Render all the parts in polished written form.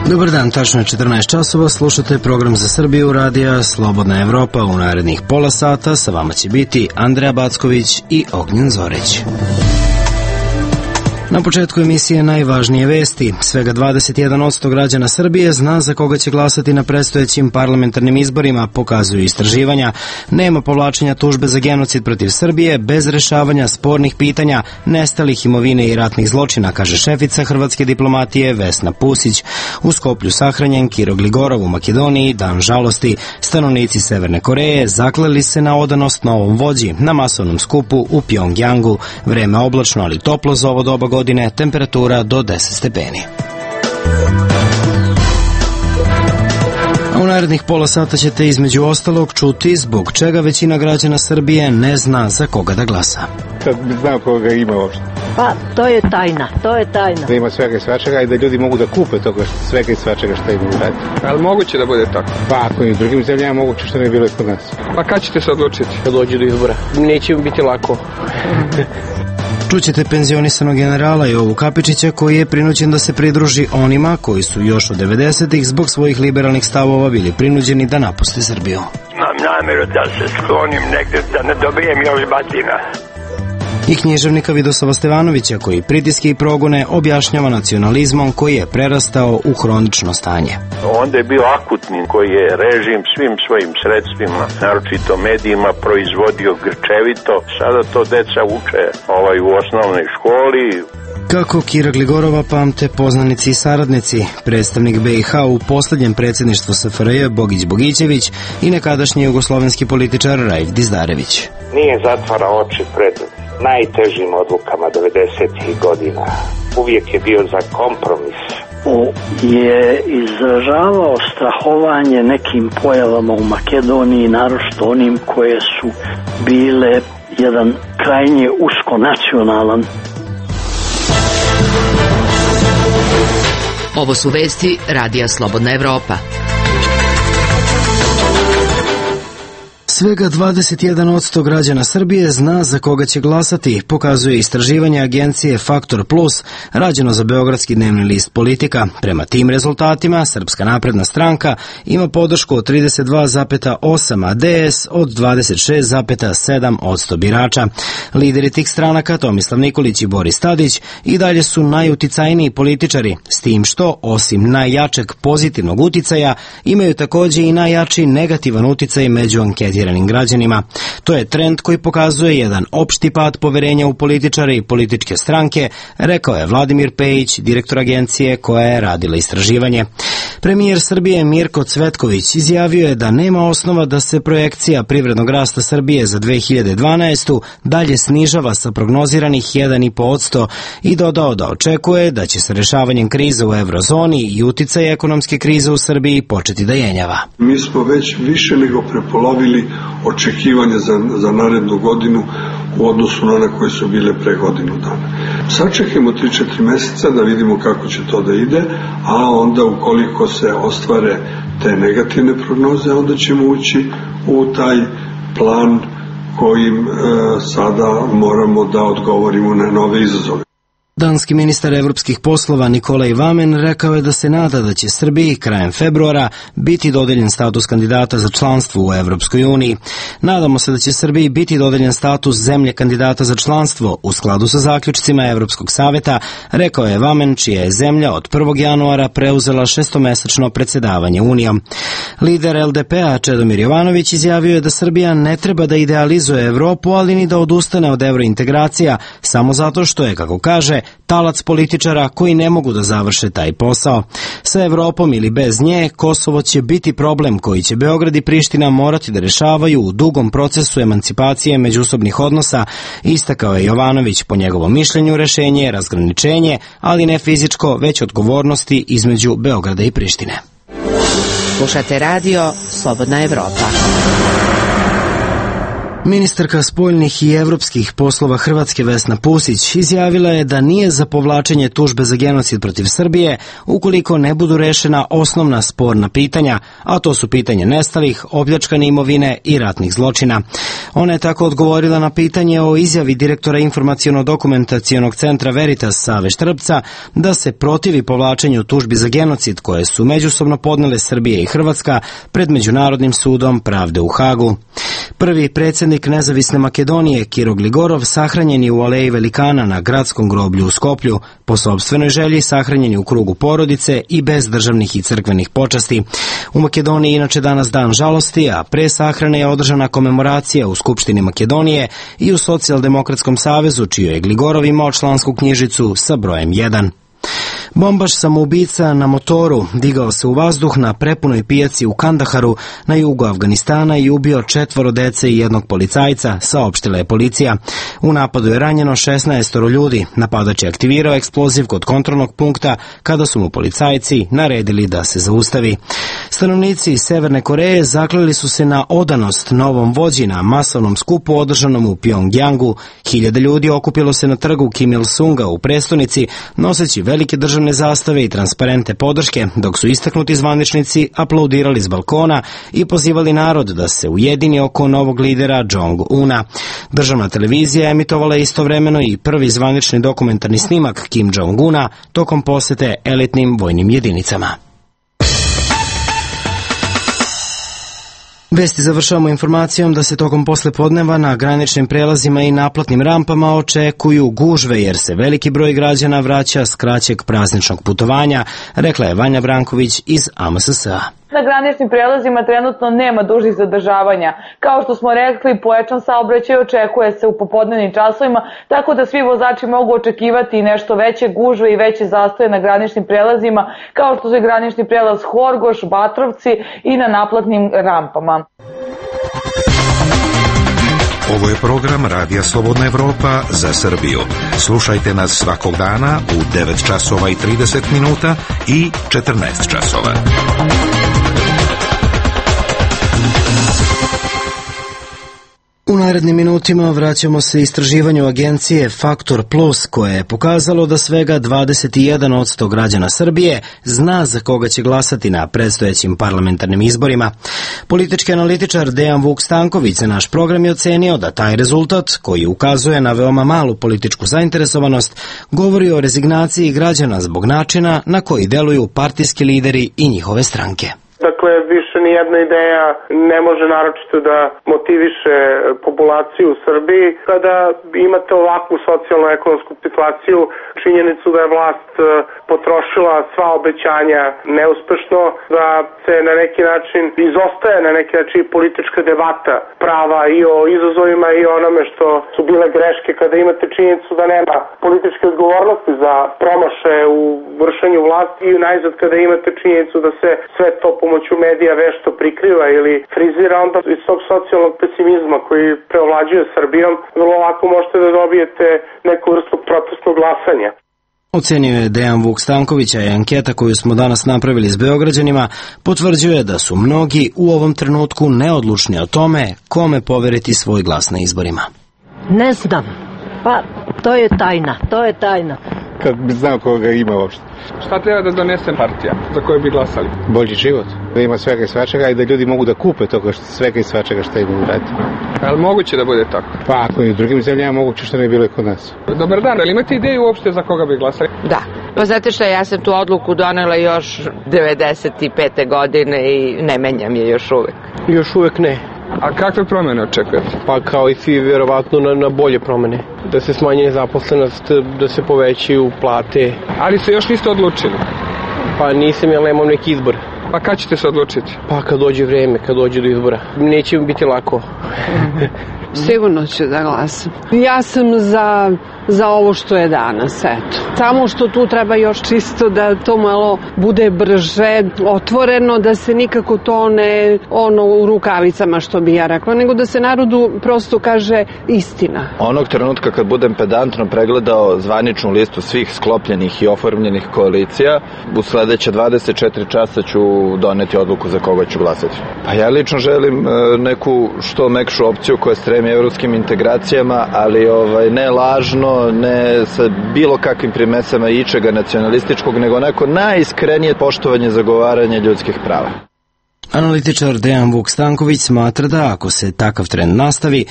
Dobar dan, tačno je 14 časova, slušate program za Srbiju radija Slobodna Evropa. U narednih pola sata sa vama će biti Andreja Backović i Ognjen Zoreć. Na početku emisije najvažnije vesti. Svega 21% građana Srbije zna za koga će glasati na predstojećim parlamentarnim izborima, pokazuju istraživanja. Nema povlačenja tužbe za genocid protiv Srbije bez rešavanja spornih pitanja, nestalih imovine i ratnih zločina, kaže šefica hrvatske diplomatije Vesna Pusić. U Skoplju sahranjen Kiro Gligorov, u Makedoniji dan žalosti. Stanovnici Severne Koreje zakleli se na odanost novom vođi na masovnom skupu u Pjongjangu. Vreme oblačno, ali toplo za ovo doba godine, temperatura do 10 stepeni. A u narednih pola sata ćete između ostalog čuti zbog čega većina građana Srbije ne zna za koga da glasa. Kad bi znao koga ima uopšte. Pa, to je tajna. Da ima svega i svačega i da ljudi mogu da kupe toga svega i svačega što imaju radi. Ali moguće da bude tako? Pa, ako i u drugim zemljama moguće što ne bilo ispod nas. Pa kad ćete se odlučiti? Kad dođe do izbora. Neće biti lako. Čućete penzionisanog generala Jovu Kapičića koji je prinuđen da se pridruži onima koji su još od 90-ih zbog svojih liberalnih stavova bili prinuđeni da napuste Srbiju. Imam namjeru da se sklonim negde, da ne dobijem još batina. I književnika Vidosava Stevanovića koji pritiske i progone objašnjava nacionalizmom koji je prerastao u hronično stanje. Onda je bio akutni koji je režim svim svojim sredstvima, naročito medijima, proizvodio grčevito. Sada to deca uče u osnovnoj školi. Kako Kira Gligorova pamte poznanici i saradnici, predstavnik BiH u posljednjem predsjedništvu SFRJ Bogić Bogićević i nekadašnji jugoslovenski političar Raif Dizdarević. Nije zatvarao oči pred najtežim odlukama 90-ih godina. Uvijek je bio za kompromis. Je izražavao strahovanje nekim pojavama u Makedoniji, naročito onim koje su bile jedan krajnje uskonacionalan. Ovo su vesti Radija Slobodna Evropa. Svega 21% građana Srbije zna za koga će glasati, pokazuje istraživanje agencije Faktor Plus, rađeno za beogradski dnevni list Politika. Prema tim rezultatima, Srpska napredna stranka ima podršku od 32,8%, a DS od 26,7% birača. Lideri tih stranaka, Tomislav Nikolić i Boris Tadić, i dalje su najuticajniji političari, s tim što, osim najjačeg pozitivnog uticaja, imaju također i najjači negativan uticaj među anketiranim građanima. To je trend koji pokazuje jedan opšti pad poverenja u političare i političke stranke, rekao je Vladimir Pejić, direktor agencije koja je radila istraživanje. Premijer Srbije Mirko Cvetković izjavio je da nema osnova da se projekcija privrednog rasta Srbije za 2012. dalje snižava sa prognoziranih 1,5% i dodao da očekuje da će sa rešavanjem krize u eurozoni i uticaj ekonomske krize u Srbiji početi da jenjava. Mi smo već više nego prepolovili očekivanja za narednu godinu u odnosu na one koje su bile pre godinu dana. Sačekajmo 3-4 meseca da vidimo kako će to da ide, a onda ukoliko se ostvare te negativne prognoze, onda ćemo ući u taj plan kojim sada moramo da odgovorimo na nove izazove. Danski ministar evropskih poslova Nikolaj Vamen rekao je da se nada da će Srbiji krajem februara biti dodeljen status kandidata za članstvo u Evropskoj uniji. Nadamo se da će Srbiji biti dodeljen status zemlje kandidata za članstvo u skladu sa zaključcima Evropskog saveta, rekao je Vamen, čija je zemlja od 1. januara preuzela 6-mesečno predsjedavanje Unijom. Lider LDP-a Čedomir Jovanović izjavio je da Srbija ne treba da idealizuje Evropu, ali ni da odustane od evrointegracija, samo zato što je, kako kaže, talac političara koji ne mogu da završe taj posao. Sa Evropom ili bez nje, Kosovo će biti problem koji će Beograd i Priština morati da rešavaju u dugom procesu emancipacije međusobnih odnosa, istakao je Jovanović. Po njegovom mišljenju rešenje je razgraničenje, ali ne fizičko, već odgovornosti između Beograda i Prištine. Slušate radio Slobodna Evropa. Ministarka spoljnih i evropskih poslova Hrvatske Vesna Pusić izjavila je da nije za povlačenje tužbe za genocid protiv Srbije ukoliko ne budu rešena osnovna sporna pitanja, a to su pitanje nestalih, opljačkane imovine i ratnih zločina. Ona je tako odgovorila na pitanje o izjavi direktora informaciono-dokumentacionog centra Veritas Save Štrbca da se protivi povlačenju tužbi za genocid koje su međusobno podnele Srbije i Hrvatska pred Međunarodnim sudom pravde u Hagu. Prvi predsjednik Nezavisne Makedonije, Kiro Gligorov, sahranjen je u Aleji Velikana na gradskom groblju u Skoplju, po sopstvenoj želji sahranjen je u krugu porodice i bez državnih i crkvenih počasti. U Makedoniji inače danas dan žalosti, a pre sahrane je održana komemoracija u Skupštini Makedonije i u Socijaldemokratskom savezu, čiju je Gligorov imao člansku knjižicu sa brojem 1. Bombaš samoubica na motoru digao se u vazduh na prepunoj pijaci u Kandaharu na jugu Afganistana i ubio 4 dece i 1 policajca, saopštila je policija. U napadu je ranjeno 16 ljudi. Napadač je aktivirao eksploziv kod kontrolnog punkta kada su mu policajci naredili da se zaustavi. Stanovnici Severne Koreje zakleli su se na odanost novom vođi na masovnom skupu održanom u Pjongjangu. Hiljade ljudi okupilo se na trgu Kim Il-sunga u prestonici, noseći velike državne zastave i transparente podrške, dok su istaknuti zvaničnici aplaudirali s balkona i pozivali narod da se ujedini oko novog lidera Jong-una. Državna televizija emitovala istovremeno i prvi zvanični dokumentarni snimak Kim Jong-una tokom posete elitnim vojnim jedinicama. Vesti završavamo informacijom da se tokom poslepodneva na graničnim prelazima i naplatnim rampama očekuju gužve jer se veliki broj građana vraća s kraćeg prazničnog putovanja, rekla je Vanja Branković iz AMSS-a. Na graničnim prelazima trenutno nema dužih zadržavanja. Kao što smo rekli, pojačan saobraćaj očekuje se u popodnevnim časovima, tako da svi vozači mogu očekivati i nešto veće gužve i veće zastoje na graničnim prelazima, kao što su i granični prelaz Horgoš, Batrovci i na naplatnim rampama. Ovo je program Radija Slobodna Evropa za Srbiju. Slušajte nas svakog dana u 9 časova i 30 minuta i 14 časova. U narednim minutima vraćamo se istraživanju agencije Faktor Plus koje je pokazalo da svega 21% građana Srbije zna za koga će glasati na predstojećim parlamentarnim izborima. Politički analitičar Dejan Vuk Stanković za naš program je ocenio da taj rezultat, koji ukazuje na veoma malu političku zainteresovanost, govori o rezignaciji građana zbog načina na koji deluju partijski lideri i njihove stranke. Dakle, više nijedna ideja ne može naročito da motiviše populaciju u Srbiji. Kada imate ovakvu socijalno-ekonomsku situaciju, činjenicu da je vlast potrošila sva obećanja neuspešno, da se na neki način izostaje na neki način politička debata prava i o izazovima i onome što su bile greške, kada imate činjenicu da nema političke odgovornosti za promaše u vršenju vlasti i najzad kada imate činjenicu da se sve to pomoću medija vešto prikriva ili frizira, onda iz tog socijalnog pesimizma koji preovlađuje Srbijom vrlo lako možete da dobijete neku vrstu protestnog glasanja. Ocenio je Dejan Vuk Stanković, a anketa koju smo danas napravili s Beograđanima potvrđuje da su mnogi u ovom trenutku neodlučni o tome kome poveriti svoj glas na izborima. Ne znam, pa to je tajna. Kad bi znao koga ima uopšte. Šta treba da donese partija za koju bi glasali? Bolji život, da ima svega i svačega i da ljudi mogu da kupe toga svega i svačega što imaju uradi. Je li moguće da bude tako? Pa ako i u drugim zemljama moguće, što ne bilo i kod nas. Dobar dan, ali imate ideju uopšte za koga bi glasali? Da, pa znate šta, ja sam tu odluku donela još 95. godine i ne menjam je još uvek. Još uvek ne. A kakve promene očekujete? Pa kao i svi, vjerovatno na bolje promene. Da se smanji nezaposlenost, da se povećaju plate. Ali se još niste odlučili? Pa nisam, jer nemam neki izbor. Pa kad ćete se odlučiti? Pa kad dođe vreme, kad dođe do izbora. Neće mi biti lako. Sigurno ću da glasam. Ja sam za za ovo što je danas, eto. Samo što tu treba još čisto da to malo bude brže, otvoreno, da se nikako to ne u rukavicama, što bi ja rekla, nego da se narodu prosto kaže istina. Onog trenutka kad budem pedantno pregledao zvaničnu listu svih sklopljenih i oformljenih koalicija, u sledeće 24 časa ću doneti odluku za koga ću glasati. Pa ja lično želim neku što mekšu opciju koja stremi evropskim integracijama, ali ne lažno, ne sa bilo kakvim primesama ičega nacionalističkog, nego onako najiskrenije poštovanje zagovaranja ljudskih prava. Analitičar Dejan Vuk Stanković smatra da ako se takav trend nastavi,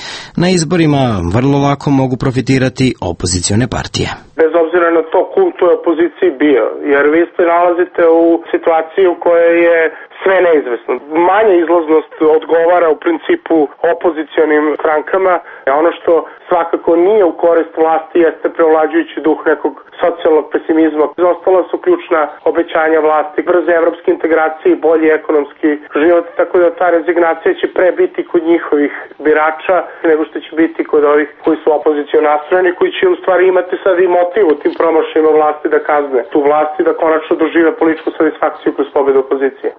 na izborima vrlo lako mogu profitirati opozicione partije. Bez obzira na to ko u toj opoziciji bio, jer vi se nalazite u situaciji u kojoj je sve neizvesno. Manja izlaznost odgovara u principu opozicionim strankama. Ono što svakako nije u korist vlasti jeste prevlađujući duh nekog socijalnog pesimizma. Ostala su ključna obećanja vlasti, brze evropske integracije i bolji ekonomski život, tako da ta rezignacija će pre biti kod njihovih birača nego što će biti kod ovih koji su opoziciono nastrojeni, koji će u stvari imati sad i motiv u tim promašajima vlasti da kazne tu vlasti, da konačno dožive političku satisfakciju kroz pobedu opozicije.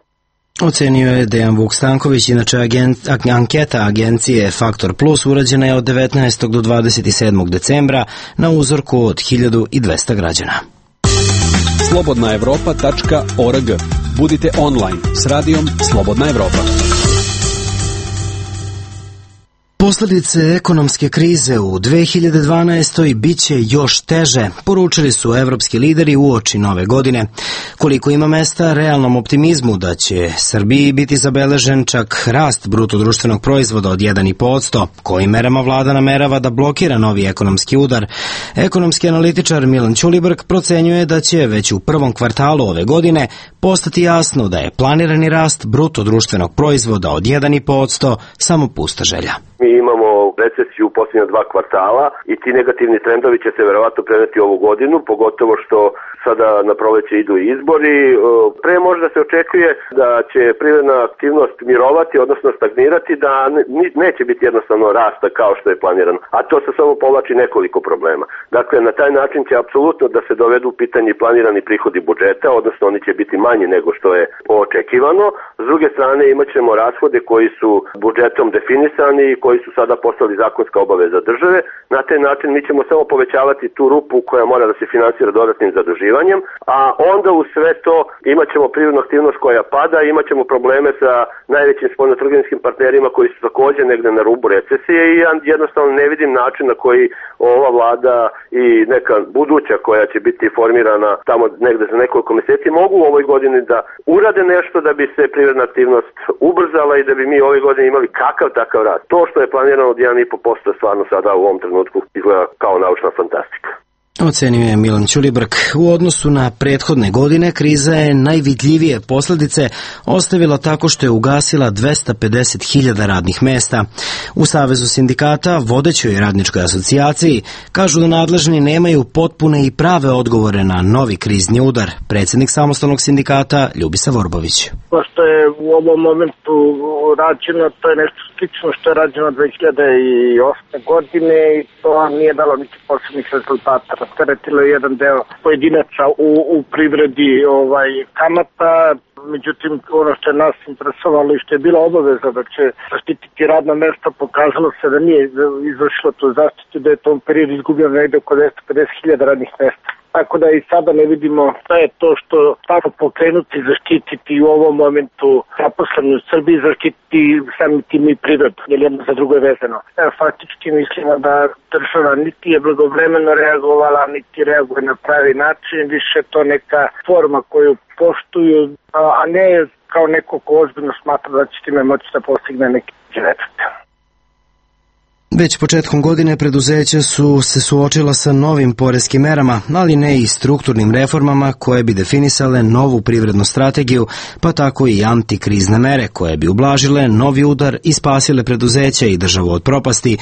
Ocenio je Dejan Vuk Stanković, inače anketa agencije Faktor Plus urađena je od 19. do 27. decembra na uzorku od 1200 građana. slobodnaevropa.org. Budite online s radijom Slobodna Evropa. Posledice ekonomske krize u 2012. biće još teže, poručili su evropski lideri uoči nove godine. Koliko ima mesta realnom optimizmu da će Srbiji biti zabeležen čak rast brutodruštvenog proizvoda od 1,5%, kojim merama vlada namerava da blokira novi ekonomski udar. Ekonomski analitičar Milan Ćulibrk procenjuje da će već u prvom kvartalu ove godine postati jasno da je planirani rast brutodruštvenog proizvoda od 1,5% samo pusta želja. Mi imamo recesiju u posljednja 2 kvartala i ti negativni trendovi će se verovatno preneti ovu godinu, pogotovo što sada na proleće idu izbori. Pre možda se očekuje da će privredna aktivnost mirovati, odnosno stagnirati, da neće biti jednostavno rasta kao što je planirano. A to se samo povlači nekoliko problema. Dakle, na taj način će apsolutno da se dovedu u pitanje planirani prihodi budžeta, odnosno oni će biti manji nego što je očekivano. S druge strane imat ćemo rashode koji su budžetom definisani i koji su sada postali zakonska obaveza države. Na taj način mi ćemo samo povećavati tu rupu koja mora da se finansira dodatnim zaduživanjem, a onda u sve to imat ćemo privrednu aktivnost koja pada, imat ćemo probleme sa najvećim spoljnotrgovinskim partnerima koji su takođe negde na rubu recesije i ja jednostavno ne vidim način na koji ova vlada i neka buduća koja će biti formirana tamo negde za nekoliko meseci mogu u ovoj godini da urade nešto da bi se privredna aktivnost ubrzala i da bi mi ove godine imali kakav takav rast. To što je planirano od 1,5% stvarno sada u ovom trenutku izgleda kao naučna fantastika. Ocenio je Milan Ćulibrk. U odnosu na prethodne godine, kriza je najvidljivije posledice ostavila tako što je ugasila 250.000 radnih mesta. U Savezu sindikata, vodećoj radničkoj asocijaciji, kažu da nadležni nemaju potpune i prave odgovore na novi krizni udar. Predsjednik samostalnog sindikata Ljubisa Vorbović. To što je u ovom momentu rađeno, to je nešto slično što je rađeno 2008. godine i to nije dalo niti posebnih rezultata. Rasteretilo je jedan deo pojedinaca u privredi kamata, međutim ono što je nas interesovalo i što je bila obaveza da će zaštititi radna mesta, pokazalo se da nije izvršilo tu zaštitu, da je u tom periodu izgubljeno negde oko 250.000 radnih mesta. Tako da i sada ne vidimo šta je to što tako pokrenuti, zaštititi u ovom momentu zaposleni u Srbiji, zaštititi samim tim i prirodu, jer jedno za drugo je vezano. Faktički mislimo da država niti je blagovremeno reagovala, niti reaguje na pravi način, više to neka forma koju poštuju, a ne kao neko ko ozbiljno smatra da će time moći da postigne neki efekt. Već početkom godine preduzeća su se suočila sa novim poreskim merama, ali ne i strukturnim reformama koje bi definisale novu privrednu strategiju, pa tako i antikrizne mere koje bi ublažile novi udar i spasile preduzeća i državu od propasti,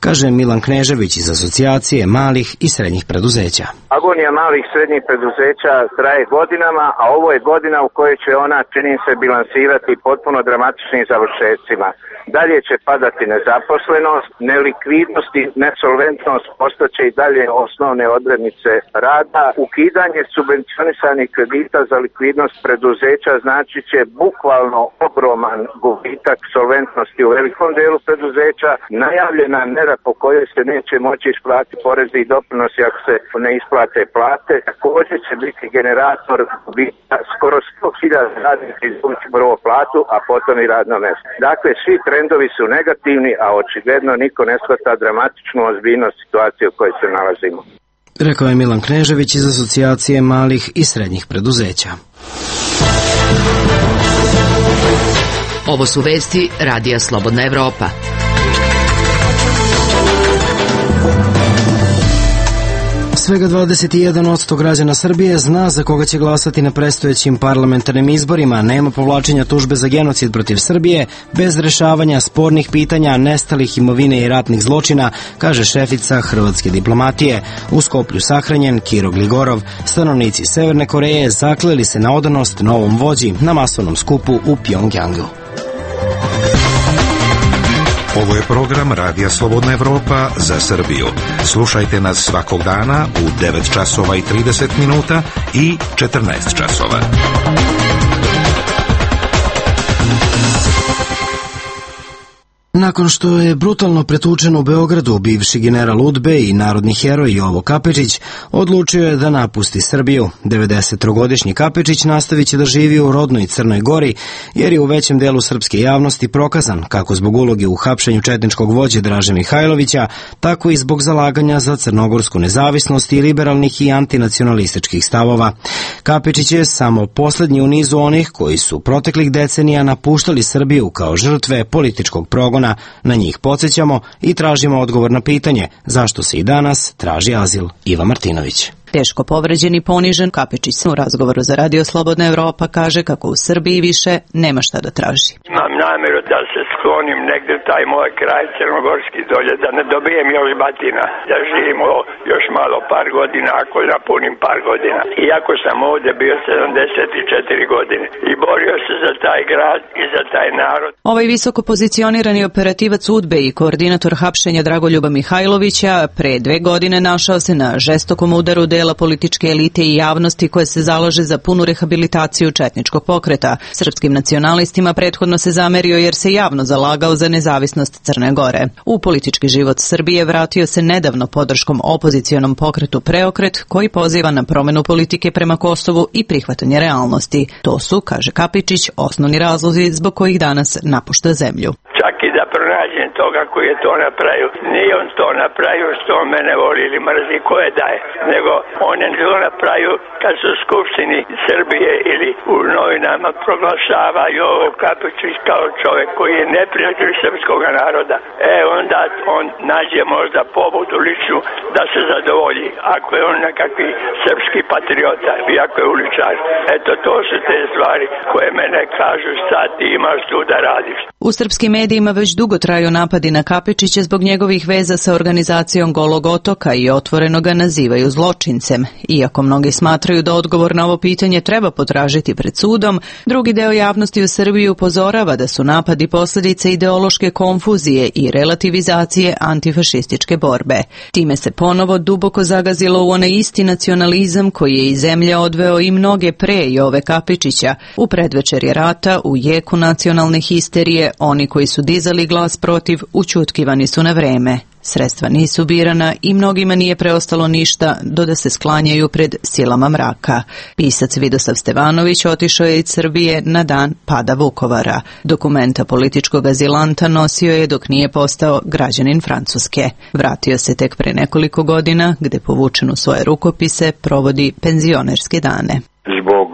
kaže Milan Knežević iz Asocijacije malih i srednjih preduzeća. Agonija malih i srednjih preduzeća traje godinama, a ovo je godina u kojoj će ona, čini se, bilansirati potpuno dramatičnim završecima. Dalje će padati nezaposlenost, nelikvidnost i nesolventnost ostaće i dalje osnovne odrednice rada. Ukidanje subvencionisanih kredita za likvidnost preduzeća znači će bukvalno ogroman gubitak solventnosti u velikom delu preduzeća. Najavljena mera po kojoj se neće moći isplatiti porezi i doprinosi ako se ne isplate plate, također će biti generator gubitka skoro 100.000 radnika izgubiti prvo platu, a potom i radno mjesto. Dakle, svi trendovi su negativni, a očigledno niko ne shvata dramatičnu ozbiljnost situacije u kojoj se nalazimo. Rekao je Milan Knežević iz Asocijacije malih i srednjih preduzeća. Ovo su vesti Radija Slobodna Evropa. Svega 21% građana Srbije zna za koga će glasati na predstojećim parlamentarnim izborima. Nema povlačenja tužbe za genocid protiv Srbije bez rešavanja spornih pitanja, nestalih imovine i ratnih zločina, kaže šefica hrvatske diplomatije. U Skoplju sahranjen Kiro Gligorov. Stanovnici Severne Koreje zakleli se na odanost novom vođi na masovnom skupu u Pjongjangu. Ovo je program Radija Slobodna Evropa za Srbiju. Slušajte nas svakog dana u 9 časova i 30 minuta i 14 časova. Nakon što je brutalno pretučen u Beogradu, bivši general UDBE i narodni heroj Jovo Kapičić odlučio je da napusti Srbiju. 93-godišnji Kapičić nastavit će da živi u rodnoj Crnoj Gori, jer je u većem delu srpske javnosti prokazan, kako zbog uloge u hapšenju četničkog vođe Draže Mihajlovića, tako i zbog zalaganja za crnogorsku nezavisnost i liberalnih i antinacionalističkih stavova. Kapičić je samo poslednji u nizu onih koji su proteklih decenija napuštali Srbiju kao žrtve političkog progona. Na njih podsjećamo i tražimo odgovor na pitanje zašto se i danas traži azil. Iva Martinović. Teško povređen i ponižen, Kapičić u razgovoru za Radio Slobodna Evropa kaže kako u Srbiji više nema šta da traži. Imam namjeru da se sklonim negdje taj moj kraj crnogorski dolje, da ne dobijem još batina, da živimo još malo par godina, ako napunim par godina. Iako sam ovdje bio 74 godine i borio se za taj grad i za taj narod. Ovaj visoko pozicionirani operativac UDBE i koordinator hapšenja Dragoljuba Mihajlovića pre 2 godine našao se na žestokom udaru dela političke elite i javnosti koje se zalaže za punu rehabilitaciju četničkog pokreta. Srpskim nacionalistima prethodno se zamerio jer se javno zalagao za nezavisnost Crne Gore. U politički život Srbije vratio se nedavno podrškom opozicionom pokretu Preokret, koji poziva na promenu politike prema Kosovu i prihvatanje realnosti. To su, kaže Kapičić, osnovni razlozi zbog kojih danas napušta zemlju. Čak i da pronađem toga koji je to napravio. Nije on to napravio što on mene voli ili mrzi, ko je daje, nego on je to napravio kad su u Skupštini Srbije ili u novinama proglašava Jovo Kapičić kao čovjek koji je neprijatelj srpskog naroda. Onda on nađe možda pobudu ličnu da se zadovolji, ako je on nekakvi srpski patriota i ako je uličar. Eto, to su te stvari koje mene kažu šta ti imaš tu da radiš. U srpskim medijima već dugo traju napadi na Kapičića zbog njegovih veza sa organizacijom Golog otoka i otvoreno ga nazivaju zločincem. Iako mnogi smatraju da odgovor na ovo pitanje treba potražiti pred sudom, drugi deo javnosti u Srbiji upozorava da su napadi posljedice ideološke konfuzije i relativizacije antifašističke borbe. Time se ponovo duboko zagazilo u onaj isti nacionalizam koji je iz zemlje odveo i mnoge pre Jove Kapičića. U predvečerje rata, u jeku nacionalne histerije, oni koji su dizali glas protiv ućutkivani su na vreme. Sredstva nisu birana i mnogima nije preostalo ništa do da se sklanjaju pred silama mraka. Pisac Vidosav Stevanović otišao je iz Srbije na dan pada Vukovara. Dokumenta političkog azilanta nosio je dok nije postao građanin Francuske. Vratio se tek pre nekoliko godina, gde povučen u svoje rukopise provodi penzionerske dane. Zbog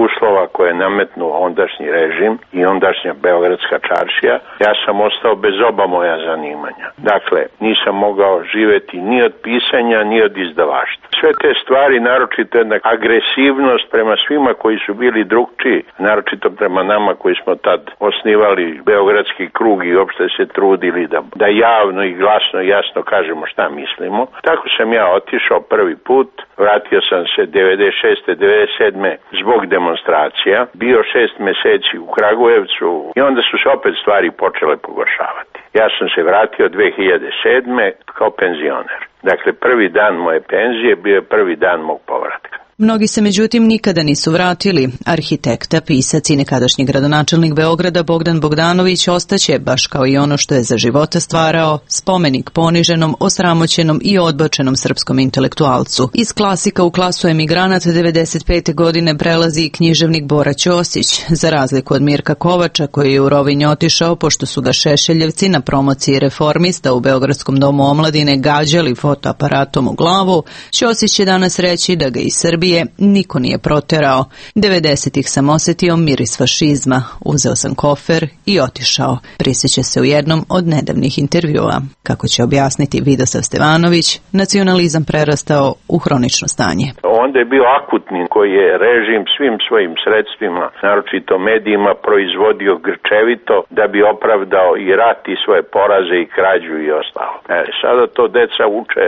uslova koje je nametnuo ondašnji režim i ondašnja Beogradska čaršija, ja sam ostao bez oba moja zanimanja. Dakle, nisam mogao živjeti ni od pisanja, ni od izdavaštva. Sve te stvari, naročito jedna agresivnost prema svima koji su bili drugčiji, naročito prema nama koji smo tad osnivali Beogradski krug i uopšte se trudili da javno i glasno i jasno kažemo šta mislimo. Tako sam ja otišao prvi put, vratio sam se 96. 97. zbog demonstracija, bio 6 meseci u Kragujevcu i onda su se opet stvari počele pogoršavati. Ja sam se vratio 2007. kao penzioner. Dakle, prvi dan moje penzije bio je prvi dan mog povratka. Mnogi se međutim nikada nisu vratili. Arhitekta, pisac i nekadašnji gradonačelnik Beograda Bogdan Bogdanović ostaće, baš kao i ono što je za života stvarao, spomenik poniženom, osramoćenom i odbačenom srpskom intelektualcu. Iz klasika u klasu emigranata 95. godine prelazi i književnik Bora Ćosić, za razliku od Mirka Kovača koji je u Rovinj otišao pošto su ga Šešeljevci na promociji Reformista u Beogradskom domu omladine gađali fotoaparatom u glavu. Ćosić će danas reći da ga iz Srbije niko nije proterao. 90-ih sam osetio miris fašizma, uzeo sam kofer i otišao. Prisjeća se u jednom od nedavnih intervjua. Kako će objasniti Vidosav Stevanović, nacionalizam prerastao u hronično stanje. Onda je bio akutni koji je režim svim svojim sredstvima, naročito medijima, proizvodio grčevito da bi opravdao i rat i svoje poraze i krađu i ostalo. Sada to deca uče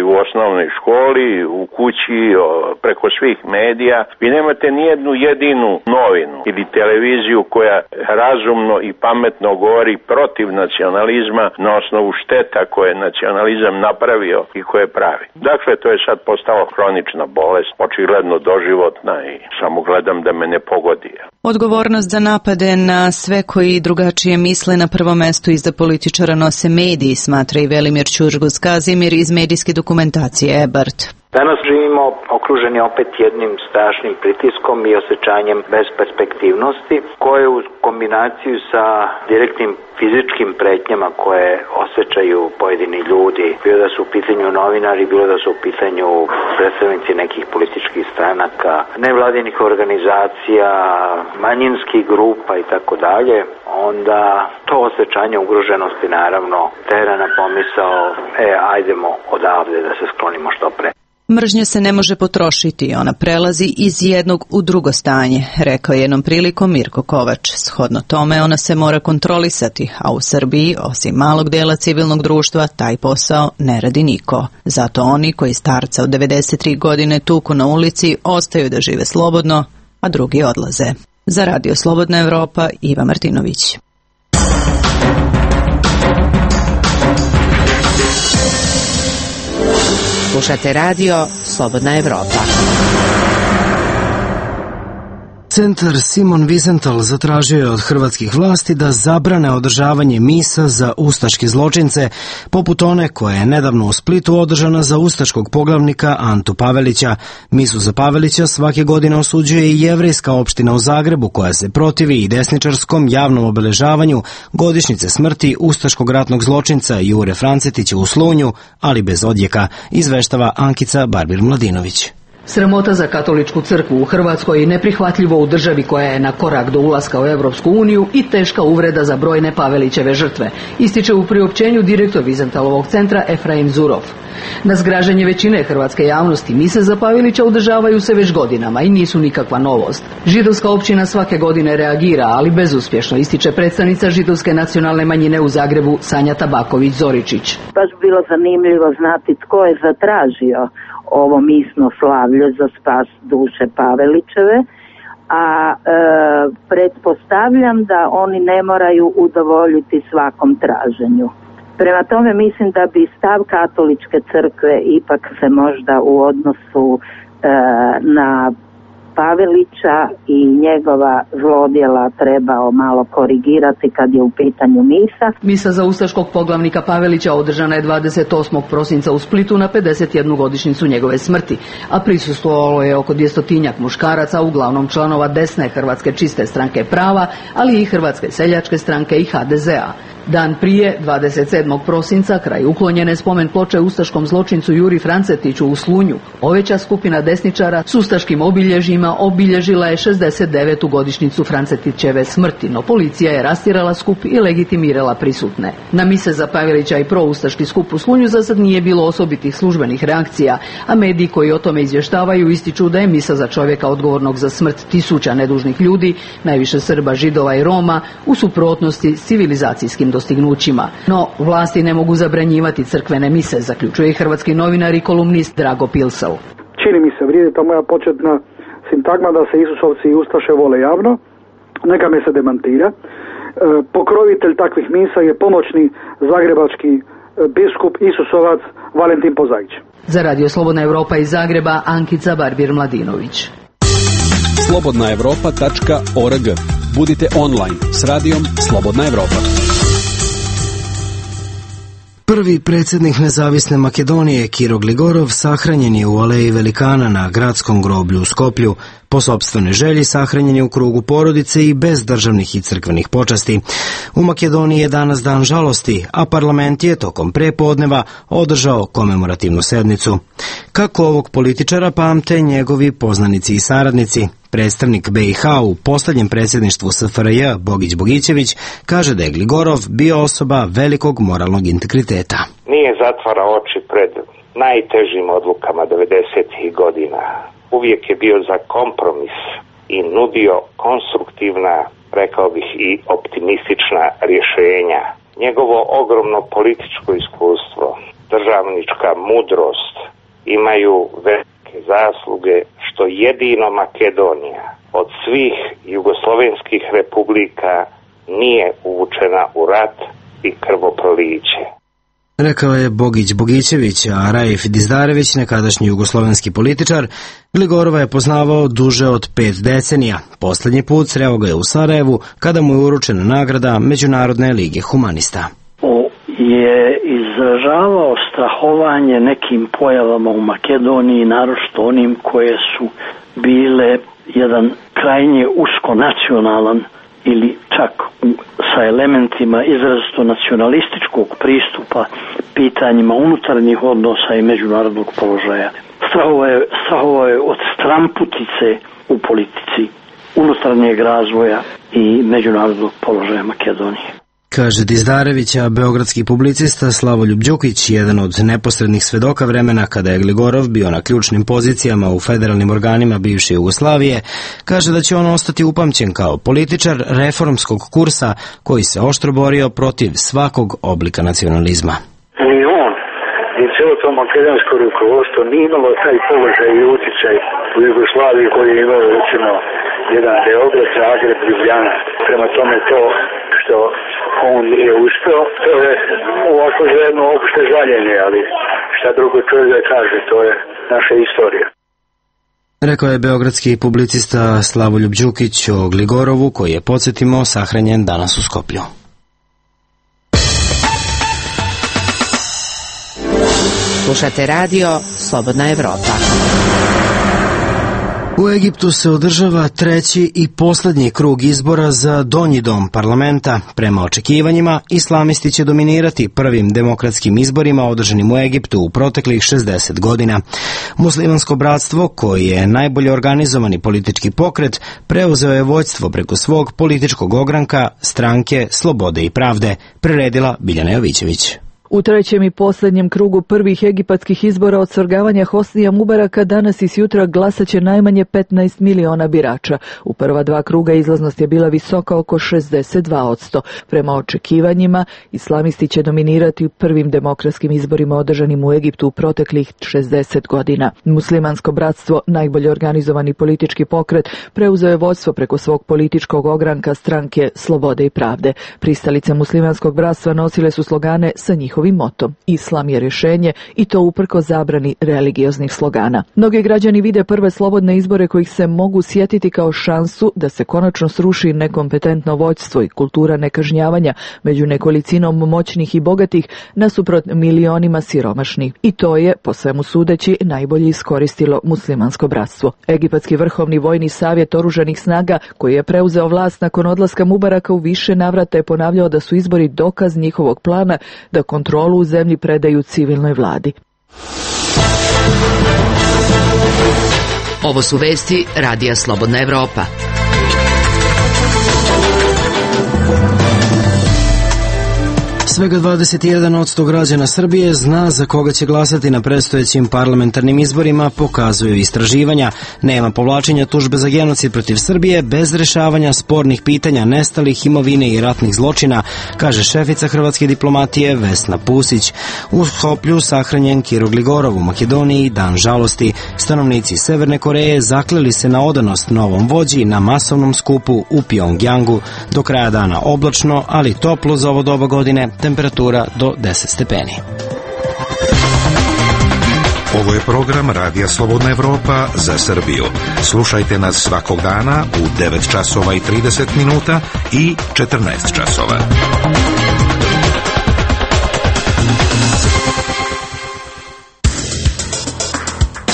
u osnovnoj školi, u kući, preko svih medija. Vi nemate nijednu jedinu novinu ili televiziju koja razumno i pametno govori protiv nacionalizma na osnovu šteta koje je nacionalizam napravio i koje pravi. Dakle, to je sad postalo hronična bolest, očigledno doživotna i samo gledam da me ne pogodi. Odgovornost za napade na sve koji drugačije misle na prvom mestu iza političara nose mediji, smatra i Velimir Ćurgus-Kazimir iz medijske dokumentacije EBART. Danas živimo okruženi opet jednim strašnim pritiskom i osjećanjem besperspektivnosti koje u kombinaciju sa direktnim fizičkim pretnjama koje osjećaju pojedini ljudi, bilo da su u pitanju novinari, bilo da su u pitanju predstavnici nekih političkih stranaka, nevladinih organizacija, manjinskih grupa i tako dalje, onda to osjećanje ugroženosti naravno tera na pomisao ajdemo odavde da se sklonimo što pre. Mržnja se ne može potrošiti, ona prelazi iz jednog u drugo stanje, rekao je jednom prilikom Mirko Kovač. Shodno tome ona se mora kontrolisati, a u Srbiji, osim malog dela civilnog društva, taj posao ne radi niko. Zato oni koji starca od 93 godine tuku na ulici ostaju da žive slobodno, a drugi odlaze. Za Radio Slobodna Evropa, Iva Martinović. Slušate radio Slobodna Evropa. Centar Simon Wiesenthal zatražio je od hrvatskih vlasti da zabrane održavanje misa za ustaške zločince, poput one koja je nedavno u Splitu održana za ustaškog poglavnika Antu Pavelića. Misu za Pavelića svake godine osuđuje i jevrejska opština u Zagrebu, koja se protivi i desničarskom javnom obeležavanju godišnjice smrti ustaškog ratnog zločinca Jure Francetića u Slunju, ali bez odjeka, izveštava Ankica Barbir-Mladinović. Sramota za katoličku crkvu u Hrvatskoj, neprihvatljivo u državi koja je na korak do ulaska u Evropsku uniju i teška uvreda za brojne Pavelićeve žrtve, ističe u priopćenju direktor Wiesenthalovog centra Efraim Zurov. Na zgražanje većine hrvatske javnosti mise za Pavelića održavaju se već godinama i nisu nikakva novost. Židovska općina svake godine reagira, ali bezuspješno, ističe predstavnica židovske nacionalne manjine u Zagrebu Sanja Tabaković-Zoričić. Baš bilo zanimljivo znati tko je zatražio ovo misno slavlje za spas duše Pavelićeve, a pretpostavljam da oni ne moraju udovoljiti svakom traženju. Prema tome mislim da bi stav katoličke crkve ipak se možda u odnosu na Pavelića i njegova zlodjela trebao malo korigirati kad je u pitanju misa. Misa za ustaškog poglavnika Pavelića održana je 28. prosinca u Splitu na 51. godišnjicu njegove smrti, a prisustvovalo je oko 200-tinjak muškaraca, uglavnom članova desne Hrvatske čiste stranke prava, ali i Hrvatske seljačke stranke i HDZ-a. Dan prije, 27. prosinca, kraj uklonjene spomen ploče ustaškom zločincu Juri Francetiću u Slunju, oveća skupina desničara s ustaškim obilježjima obilježila je 69. godišnjicu Francetićeve smrti, no policija je rastjerala skup i legitimirala prisutne. Na mise za Pavelića i proustaški skup u Slunju za sad nije bilo osobitih službenih reakcija, a mediji koji o tome izvještavaju ističu da je misa za čovjeka odgovornog za smrt tisuća nedužnih ljudi, najviše Srba, Židova i Roma, u suprotnosti s civilizacijskim dostignućima. No, vlasti ne mogu zabranjivati crkvene mise, zaključuje i hrvatski novinar i kolumnist Drago Pilsel. Čini mi se, vrijedi ta moja početna sintagma da se Isusovci i Ustaše vole javno, neka me se demantira. pokrovitelj takvih misa je pomoćni zagrebački biskup Isusovac Valentin Pozaić. Za Radio Slobodna Evropa iz Zagreba, Ankica Barbir-Mladinović. slobodnaevropa.org. Budite online s radijom Slobodna Evropa. Prvi predsjednik Nezavisne Makedonije, Kiro Gligorov, sahranjen je u Aleji Velikana na gradskom groblju u Skoplju. Po sopstvenoj želji sahranjen je u krugu porodice i bez državnih i crkvenih počasti. U Makedoniji je danas dan žalosti, a parlament je tokom prepodneva održao komemorativnu sednicu. Kako ovog političara pamte njegovi poznanici i saradnici? Predstavnik BiH u posljednjem predsjedništvu SFRJ, Bogić Bogićević, kaže da je Gligorov bio osoba velikog moralnog integriteta. Nije zatvarao oči pred najtežim odlukama 90. godina. Uvijek je bio za kompromis i nudio konstruktivna, rekao bih i optimistična rješenja. Njegovo ogromno političko iskustvo, državnička mudrost imaju velike zasluge što jedino Makedonija od svih jugoslovenskih republika nije uvučena u rat i krvoproliće. Rekao je Bogić Bogićević, a Raif Dizdarević, nekadašnji jugoslovenski političar, Gligorova je poznavao duže od 5 decenija. Posljednji put sreo ga je u Sarajevu kada mu je uručena nagrada Međunarodne lige humanista. Je izražavao strahovanje nekim pojavama u Makedoniji, naročito onim koje su bile jedan krajnje uskonacionalan ili čak sa elementima izrazito nacionalističkog pristupa pitanjima unutarnjih odnosa i međunarodnog položaja. Strahovao je od stramputice u politici, unutarnjeg razvoja i međunarodnog položaja Makedonije. Kaže Dizdarević, a beogradski publicista Slavoljub Đukić, jedan od neposrednih svedoka vremena kada je Gligorov bio na ključnim pozicijama u federalnim organima bivše Jugoslavije, kaže da će on ostati upamćen kao političar reformskog kursa koji se oštro borio protiv svakog oblika nacionalizma. Ni on, ni cijelo to makedonsko rukovodstvo nije imalo taj položaj i utjecaj u Jugoslaviji koji je imao recimo jedan Beograd, Zagreb, Ljubljana. Prema tome to što on nije uspeo, to je ovako jedno opšte žaljenje, ali šta drugo čovjek da kaže, to je naša istorija. Rekao je beogradski publicista Slavoljub Đukić o Gligorovu, koji je, podsjetimo, sahranjen danas u Skoplju. Slušate radio Slobodna Evropa. U Egiptu se održava treći i posljednji krug izbora za donji dom parlamenta. Prema očekivanjima, islamisti će dominirati prvim demokratskim izborima održanim u Egiptu u proteklih 60 godina. Muslimansko bratstvo, koji je najbolje organizovani politički pokret, preuzeo je vođstvo preko svog političkog ogranka stranke Slobode i pravde, priredila Biljana Jovićević. U trećem i posljednjem krugu prvih egipatskih izbora od svrgavanja Hosnija Mubaraka danas i sjutra glasaće najmanje 15 miliona birača. U prva dva kruga izlaznost je bila visoka oko 62%. Prema očekivanjima, islamisti će dominirati u prvim demokratskim izborima održanim u Egiptu u proteklih 60 godina. Muslimansko bratstvo, najbolje organizovani politički pokret, preuzeo je vodstvo preko svog političkog ogranka stranke Slobode i pravde. Pristalice muslimanskog bratstva nosile su slogane sa njihovim motom: Islam je rješenje, i to uprko zabrani religioznih slogana. Mnogi građani vide prve slobodne izbore kojih se mogu sjetiti kao šansu da se konačno sruši nekompetentno vođstvo i kultura nekažnjavanja među nekolicinom moćnih i bogatih nasuprot milionima siromašnih. I to je, po svemu sudeći, najbolje iskoristilo muslimansko bratstvo. Egipatski vrhovni vojni savjet oružanih snaga, koji je preuzeo vlast nakon odlaska Mubaraka, u više navrata je ponavljao da su izbori dokaz njihovog plana da kontrolu u zemlji predaju civilnoj vladi. Ovo su vesti Radija Slobodna Evropa. Svega 21% građana Srbije zna za koga će glasati na predstojećim parlamentarnim izborima, pokazuju istraživanja. Nema povlačenja tužbe za genocid protiv Srbije bez rešavanja spornih pitanja nestalih, imovine i ratnih zločina, kaže šefica hrvatske diplomatije Vesna Pusić. U Skoplju sahranjen Kiro Gligorov, u Makedoniji dan žalosti. Stanovnici Severne Koreje zakleli se na odanost novom vođi na masovnom skupu u Pjongjangu. Do kraja dana oblačno, ali toplo za ovo doba godine, temperatura do 10 stepeni. Ovo je program Radija Slobodna Evropa za Srbiju. Slušajte nas svakog dana u 9 časova i 30 minuta i 14 časova.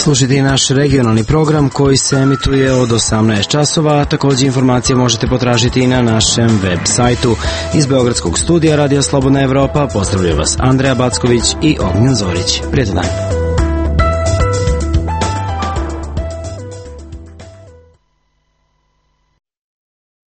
Slušajte i naš regionalni program koji se emituje od 18 časova, a također informacije možete potražiti i na našem web sajtu. Iz Beogradskog studija Radija Slobodna Evropa pozdravljaju vas Andreja Backović i Ognjen Zorić. Prijatan dan.